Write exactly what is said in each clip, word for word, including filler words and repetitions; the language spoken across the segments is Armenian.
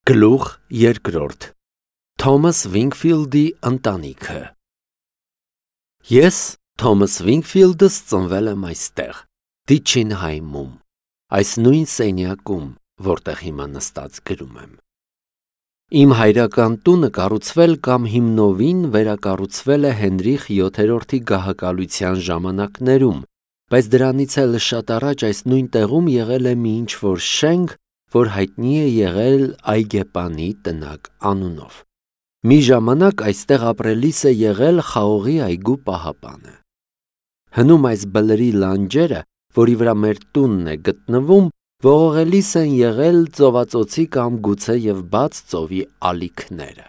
Գլուխ երկրորդ Թոմաս Վինքֆիլդի ընտանիքը Ես Թոմաս Վինքֆիլդս ծնվել եմ այստեղ, Դիչինհայմում, այս նույն սենյակում, որտեղ հիմա նստած գրում եմ։ Իմ հայրական տունը կառուցվել կամ հիմնովին վերակառուցվել է Հենրիխ յոթերորդի գահակալության ժամանակներում, բայց դրանից էլ շատ առաջ այս նույն տեղում եղել է մի ինչ-որ շենք, որ հայտնի է եղել Այգեպանի տնակ անունով։ Մի ժամանակ այստեղ ապրելիս է եղել Խաղողի այգու պահապանը։ Հնում այս բլրի լանջերը, որի վրա մեր տունն է գտնվում, ողողելիս են եղել ծովածոցի կամ գուցե և բաց ծովի ալիքները։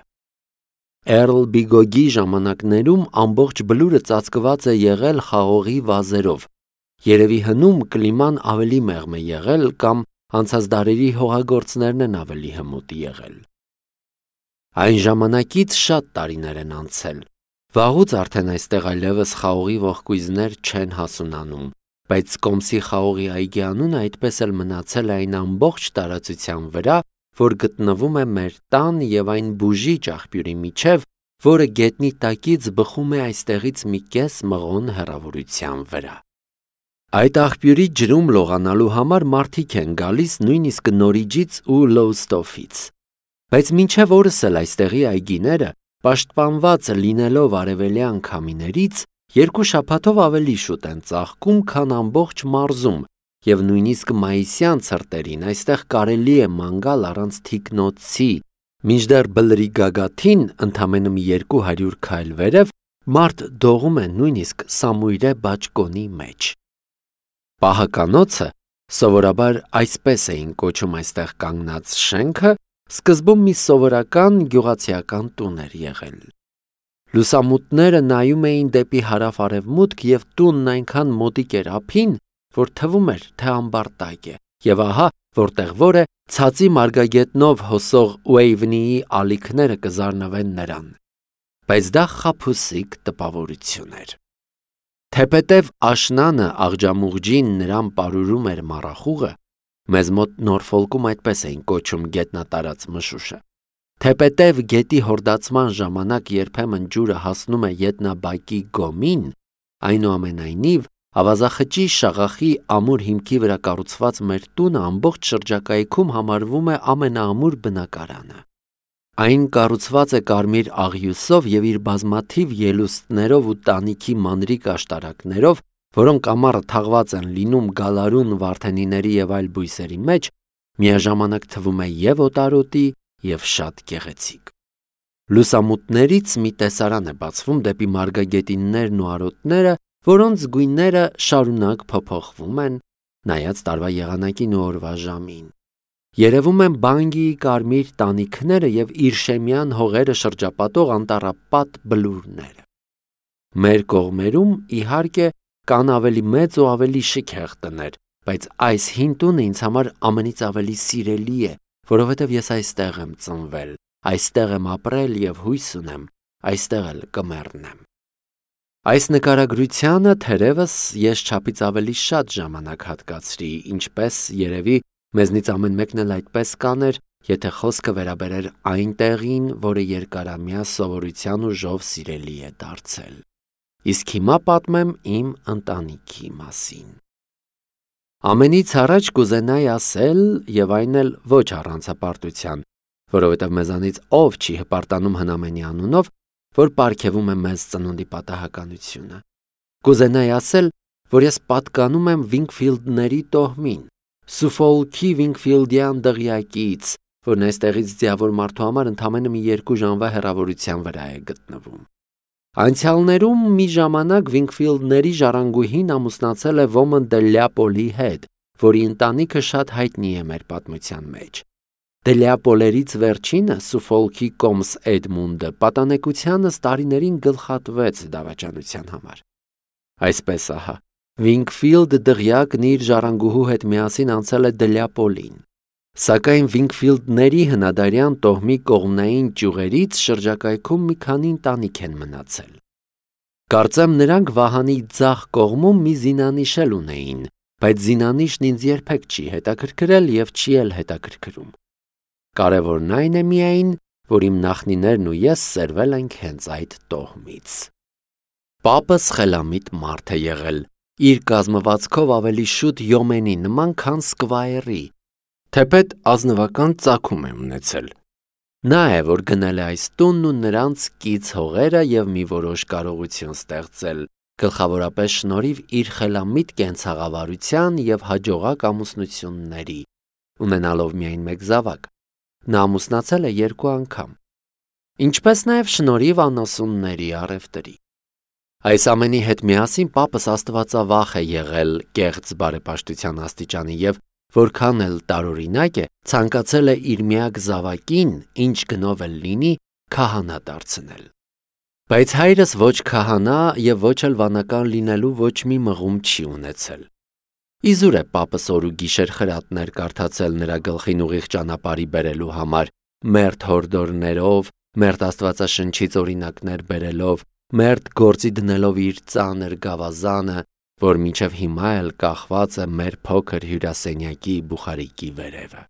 Էռլ Բիգոգի ժամանակներում ամբողջ բլուրը ծածկված է եղել խաղողի վազերով, երևի հնում կլիման ավելի մեղմ է եղել կամ անցած դարերի հողագործներն են ավելի հմուտ եղել։ Այն ժամանակից շատ տարիներ են անցել, վաղուց արդեն այստեղ այլևս խաղողի ողկույզներ չեն հասունանում, բայց Կոմսի խաղողի այգի անունը այդպես էլ մնացել է այն ամբողջ տարածության վրա, որ գտնվում է մեր տան և այն բուժիչ աղբյուրի միջև, որը գետնի տակից բխում է այստեղից մի կես մղոն հեռավորության վրա։ Այդ աղբյուրի ջրում լողանալու համար մարդիկ են գալիս նույնիսկ Նորիջից ու Լոուստոֆից, բայց մինչև օրս էլ այստեղի այգիները, պաշտպանված լինելով արևելյան քամիներից, երկու շաբաթով ավելի շուտ են ծաղկում, քան ամբողջ մարզում, և նույնիսկ մայիսյան ցրտերին այստեղ կարելի է ման գալ առանց թիկնոցի, մինչդեռ բլրի գագաթին ընդամենը մի երկու հարյուր քայլ վերև մարդ դողում է նույնիսկ Սամույրե բաճկոնի մեջ։ Պահականոցը, սովորաբար այսպես էին կոչում այստեղ կանգնած շենքը, սկզբում մի սովորական գյուղացիական տուն էր եղել։ Լուսամուտները նայում էին դեպի հարավ-արևմուտք և տունն այնքան մոտիկ էր ափին, որ թվում էր, թե ամբարտակ է, և ահա, որտեղ որ է, ցածի մարգագետնով հոսող Ուեյվնիի ալիքները կզարնվեն նրան, բայց դա խաբուսիկ տպավորություն էր։ Թեպետև աշնանը աղջամուղջին նրան պարուրում էր մառախուղը, մեզ մոտ Նորֆոլքում այդպես էին կոչում գետնատարած մշուշը, թեպետև գետի հորդացման ժամանակ երբեմն ջուրը հասնում է ետնաբակի գոմին, այնուամենայնիվ ավազախճի շաղախի ամուր հիմքի վրա կառուցված մեր տունը ամբողջ շրջակայքում համարվում է ամենաամուր բնակարանը։ Այն կառուցված է կարմիր աղյուսով և իր բազմաթիվ ելուստներով ու տանիքի մանրիկ աշտարակներով, որոնք ամառը թաղված են լինում գալարուն վարդենիների և այլ բույսերի մեջ, միաժամանակ թվում է և օտարոտի, և շատ գեղեցիկ։ Լուսամուտներից մի տեսարան է բացվում դեպի մարգագետիններն ու արոտները, որոնց գույները շարունակ փոփոխվում են, նայած տարվա եղանակին ու օրվա ժամին։ Երևում են Բանգիի կարմիր տանիքները և Իրշեմյան հողերը շրջապատող անտառապատ բլուրները։ Մեր կողմերում, իհարկե, կան ավելի մեծ ու ավելի շքեղ տներ, բայց այս հին տունը ինձ համար ամենից ավելի սիրելի է, որովհետև ես այստեղ եմ ծնվել, այստեղ եմ ապրել և հույս ունեմ, այստեղ էլ կմեռնեմ։ Այս նկարագրությանը թերևս ես չափից ավելի շատ ժամանակ հատկացրի, ինչպես երևի մեզնից ամեն մեկն էլ այդպես կաներ, եթե խոսքը վերաբերեր այն տեղին, որը երկարամյա սովորության ուժով սիրելի է դարձել։ Իսկ հիմա պատմեմ իմ ընտանիքի մասին։ Ամենից առաջ կուզենայի ասել, և այն էլ ոչ առանց հպարտության, որովհետև մեզանից ով չի հպարտանում հնամենի անունով, որ պարգևում է մեզ ծնունդի պատահականությունը։ Կուզենայի ասել, որ ես պատկանում եմ Վինքֆիլդների տոհմին, Սուֆոլքի Վինքֆիլդյան դղյակից, որն այստեղից ձիավոր մարդու համար ընդամենը մի երկու ժամվա հեռավորության վրա է գտնվում։ Անցյալներում մի ժամանակ Վինքֆիլդների ժառանգուհին ամուսնացել է Ոմն դե Լյապոլի հետ, որի ընտանիքը շատ հայտնի է մեր պատմության մեջ։ Դե Լյապոլերից վերջինը, Սուֆոլքի Կոմս Էդմունդը, պատանեկությանս տարիներին գլխատվեց դավաճանության համար։ Այսպես ահա, Վինքֆիլդ դղյակն իր ժառանգուհու հետ միասին անցել է Դե Լյապոլին, սակայն Վինքֆիլդների հնադարյան տոհմի կողմնային ճյուղերից շրջակայքում մի քանի ընտանիք են մնացել։ Կարծեմ նրանք վահանի ձախ կողմում մի զինանիշ էլ ունեին, բայց զինանիշն ինձ երբեք չի հետաքրքրել և չի էլ հետաքրքրում։ Կարևորն այն է միայն, որ իմ նախնիներն ու ես սերվել ենք հենց այդ տոհմից։ Պապս խելամիտ մարդ է եղել, իր կազմվածքով ավելի շուտ յոմենի նման, քան սկվայրի, թեպետ ազնվական ծագում է ունեցել։ Նա է, որ գնել է այս տունն ու նրանց կից հողերը և մի որոշ կարողություն ստեղծել, գլխավորապես շնորհիվ իր խելամիտ կենցաղավարության և հաջողակ ամուսնությունների, ունենալով միայն մեկ զավակ։ Նա ամուսնացել է երկու անգամ, ինչպես նաև շնորհիվ անասունների առևտրի։ Այս ամենի հետ միասին պապս աստվածավախ է եղել կեղծ բարեպաշտության աստիճանի և որքան էլ տարօրինակ է, ցանկացել է իր միակ զավակին, ինչ գնով էլ լինի, քահանա դարձնել։ Բայց հայրս ոչ քահանա և ոչ էլ վանական լինելու ոչ մի մղում չի ունեցել։ Իզուր է պապս օր ու գիշեր խրատներ կարդացել նրա գլխին ուղիղ ճանապարհի բերելու համար, մերթ հորդորներով, մերթ Աստվածաշնչից օրինակներ բերելով, մերթ գործի դնելով իր ծանր գավազանը, որ մինչև հիմա էլ կախված է մեր փոքր հյուրասենյակի բուխարիկի վերևը։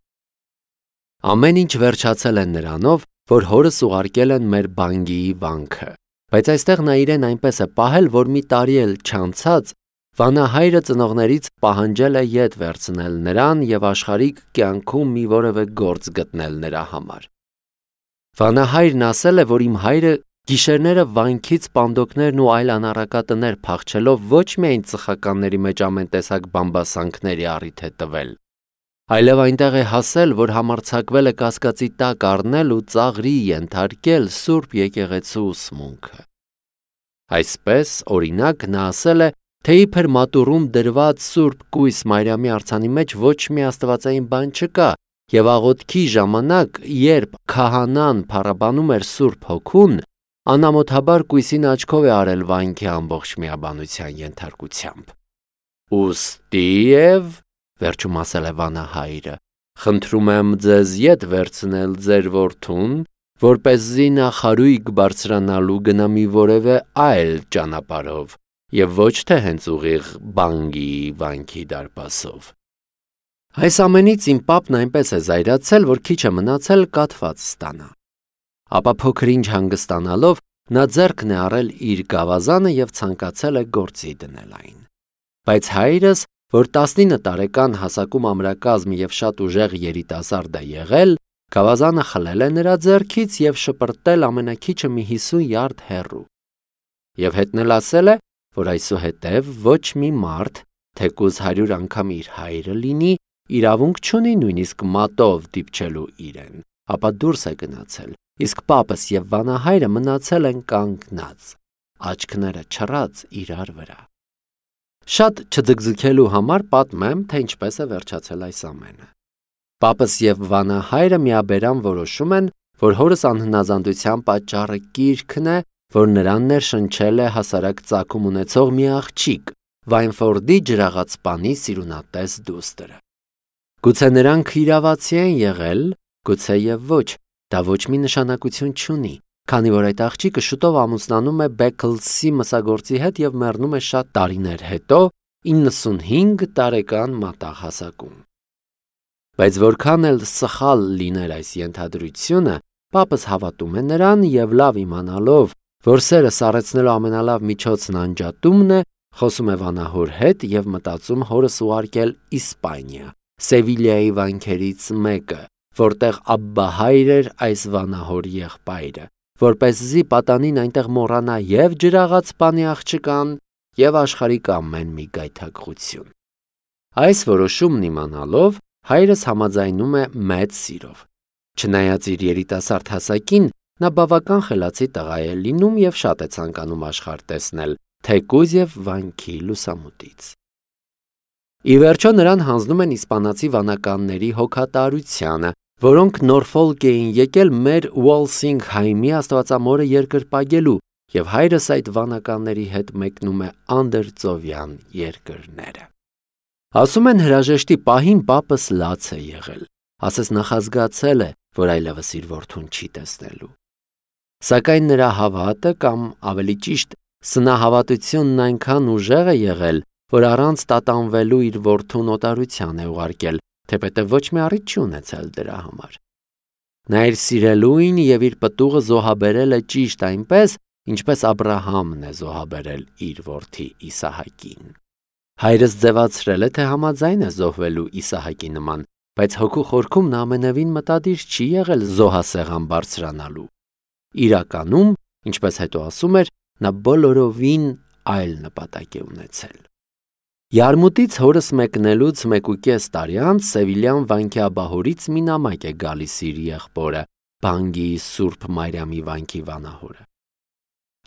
Ամեն ինչ վերջացել է նրանով, որ հորս ուղարկել են մեր բանգիի վանքը, բայց այստեղ նա իրեն այնպես է պահել, որ մի տարի էլ չանցած վանահայրը ծնողներից պահանջել է ետ վերցնել նրան և աշխարհիկ կյանքում մի որևէ գործ գտնել նրա համար։ Վանահայրն ասել է, որ իմ հայրը գիշերները վանքից պանդոկներն ու այլ անառակատներ փախչելով ոչ միայն ծխականների մեջ ամեն տեսակ բամբասանքների առիթ է տվել, այլև այնտեղ է հասել, որ համարձակվել է կասկածի տակ առնել ու ծաղրի ենթարկել Սուրբ եկեղեցու ուսմունքը։ Այսպես, օրինակ, նա ասել է, թե իբր մատուռում դրված Սուրբ Կույս Մարիամի արձանի մեջ ոչ մի աստվածային բան չկա, և աղոթքի ժամանակ, երբ քահանան փառաբանում էր Սուրբ Հոգուն, անամոթաբար կույսին աչքով է արել վանքի ամբողջ միաբանության ենթարկությամբ։ Ուստիև, վերջում ասել է վանահայրը, խնդրում եմ ձեզ ետ վերցնել ձեր որդուն, որպեսզի նա խարույկ բարձրանալու գնա մի որևէ այլ ճանապարհով և ոչ թե հենց ուղիղ բանգիի վանքի դարպասով։ Այս ամենից իմ պապն այնպես է զայրացել, որ քիչ է մնացել կաթված ստանա։ Ապա փոքր-ինչ հանգստանալով նա ձեռքն է առել իր գավազանը և ցանկացել է գործի դնել այն։ Բայց հայրս, որ տասնինը տարեկան հասակում ամրակազմ և շատ ուժեղ երիտասարդ է եղել, գավազանը խլել է նրա ձեռքից և շպրտել ամենաքիչը մի հիսուն յարդ հեռու։ Եվ հետն էլ ասել է, որ այսուհետև ոչ մի մարդ, թեկուզ հարյուր անգամ իր հայրը լինի, իրավունք չունի նույնիսկ մատով դիպչելու իրեն, ապա դուրս է գնացել, իսկ պապս և վանահայրը մնացել են կանգնած, աչքները չռած իրար վրա։ Շատ չձգձգելու համար պատմեմ, թե ինչպես է վերջացել այս ամենը։ Պապս և վանահայրը միաբերան որոշում են, որ հորս անհնազանդության պատճառը կիրքն է, որ նրան ներշնչել է հասարակ ծագում ունեցող մի աղջիկ, Վայնֆորդի ջրաղացպանի սիրունատես դուստրը։ Գուցե նրանք իրավացի են եղել, գուցե և ոչ, դա ոչ մի նշանակություն չունի, քանի որ այդ աղջիկը շուտով ամուսնանում է Բեքլսի մսագործի հետ և մեռնում է շատ տարիներ հետո, իննսունհինգ տարեկան մատաղ հասակում։ Բայց որքան էլ սխալ լիներ այս ենթադրությունը, պապս հավատում է նրան և լավ իմանալով, որ սերը սառեցնելու ամենալավ միջոցն անջատումն է, խոսում է վանահոր հետ և մտածում հորս ուղարկել Իսպանիա, Սևիլիայի վանքերից մեկը, որտեղ Աբբահայր էր այս վանահոր եղբայրը, որպեսզի պատանին այնտեղ մոռանա և ջրաղացպանի աղջկան, և աշխարհիկ ամեն մի գայթակղություն։ Այս որոշումն իմանալով, հայրս համաձայնում է մեծ սիրով։ Չնայած իր երիտասարդ հասակին, նա բավական խելացի տղա է լինում և շատ է ցանկանում աշխարհ տեսնել, թեկուզ և վանքի լուսամուտից։ Ի վերջո նրան հանձնում են իսպանացի վանականների հոգատարությանը, որոնք Նորֆոլք էին եկել մեր Ուոլսինգհայմի աստվածամորը երկրպագելու, և հայրս այդ վանականների հետ մեկնում է անդրծովյան երկրները։ Ասում են հրաժեշտի պահին պապս լաց է եղել, ասես նախազգացել է, որ այլևս իր որդուն չի տեսնելու։ Սակայն նրա հավատը կամ ավելի ճիշտ սնահավատությունն այնքան ուժեղ է եղել, որ առանց տատանվելու իր որդուն օտարության է ուղարկել, թեպետև ոչ մի առիթ չի ունեցել դրա համար։ Նա իր սիրելույն և իր պտուղը զոհաբերել է ճիշտ այնպես, ինչպես Աբրահամն է զոհաբերել իր որդի Իսահակին։ Հայրս ձևացրել է, թե համաձայն է զոհվելու Իսահակի նման, բայց հոգու խորքում նա ամենևին մտադիր չի եղել զոհասեղան բարձրանալու։ Իրականում, ինչպես հետո ասում էր, նա բոլորովին այլ նպատակ է ունեցել։ Յարմուտից հորս մեկնելուց մեկուկես տարի անց Սևիլյան վանքի աբահորից մի նամակ է գալիս իր եղբորը, Բանգիի Սուրբ Մարիամի վանքի վանահորը։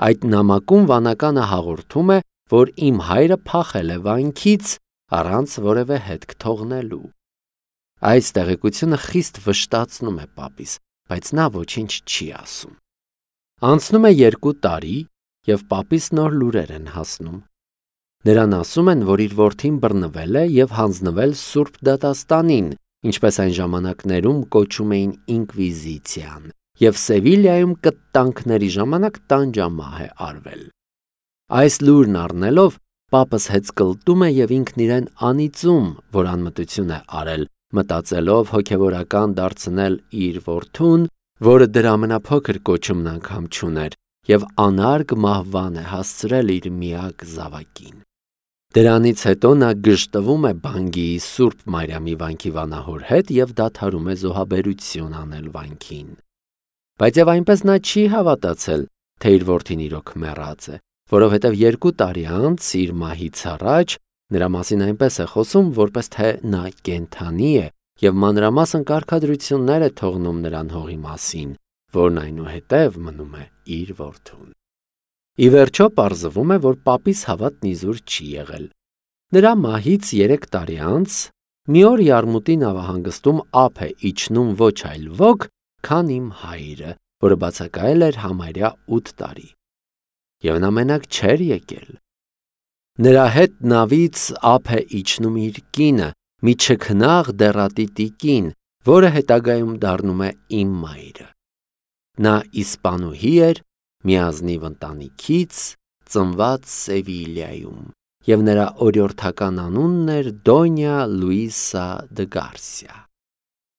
Այդ նամակում վանականը հաղորդում է, որ իմ հայրը փախել է վանքից առանց որևէ հետք թողնելու։ Այս տեղեկությունը խիստ վշտացնում է պապիս, բայց նա ոչինչ չի ասում։ Անցնում է երկու տարի, և պապիս նոր լուրեր են հասնում։ Նրան ասում են, որ իր որդին բռնվել է և հանձնվել Սուրբ դատաստանին, ինչպես այն ժամանակներում կոչում էին ինկվիզիցիան, և Սևիլիայում կտանքների ժամանակ տանջամահ է արվել։ Այս լուրն առնելով, պապս հեծկլտում է և ինքն իրեն անիծում, որ անմտություն է արել, մտածելով հոգևորական դարձնել իր որդուն, որը դրա ամենափոքր կոչումն անգամ չուներ, և անարգ մահվան է հասցրել իր միակ զավակին։ Դրանից հետո նա գժտվում է Բանգիի Սուրբ Մարիամի վանքի վանահոր հետ և դադարում է զոհաբերություն անել վանքին։ Բայց և այնպես նա չի հավատացել, թե իր որդին իրոք մեռած է, որովհետև երկու տարի անց իր մահից առաջ նրա մասին այնպես է խոսում, որպես թե նա կենդանի է և մանրամասն կարգադրություններ է թողնում նրան հողի մասին, որն այնուհետև մնում է իր որդուն։ Ի վերջո պարզվում է, որ պապիս հավատն իզուր չի եղել։ Նրա մահից երեք տարի անց մի օր Յարմուտի նավահանգստում ափ է իջնում ոչ այլ ոք, քան իմ հայրը, որը բացակայել էր համարյա ութ տարի։ Եվ նա մենակ չէր եկել։ Նրա հետ նավից ափ է իջնում իր կինը, մի չքնաղ դեռատի տիկին, որը հետագայում դառնում է իմ մայրը։ Նա իսպանուհի էր, մի ազնիվ ընտանիքից, ծնված Սևիլիայում, և նրա օրիորդական անունն էր Դոնյա Լուիսա դը Գարսիա։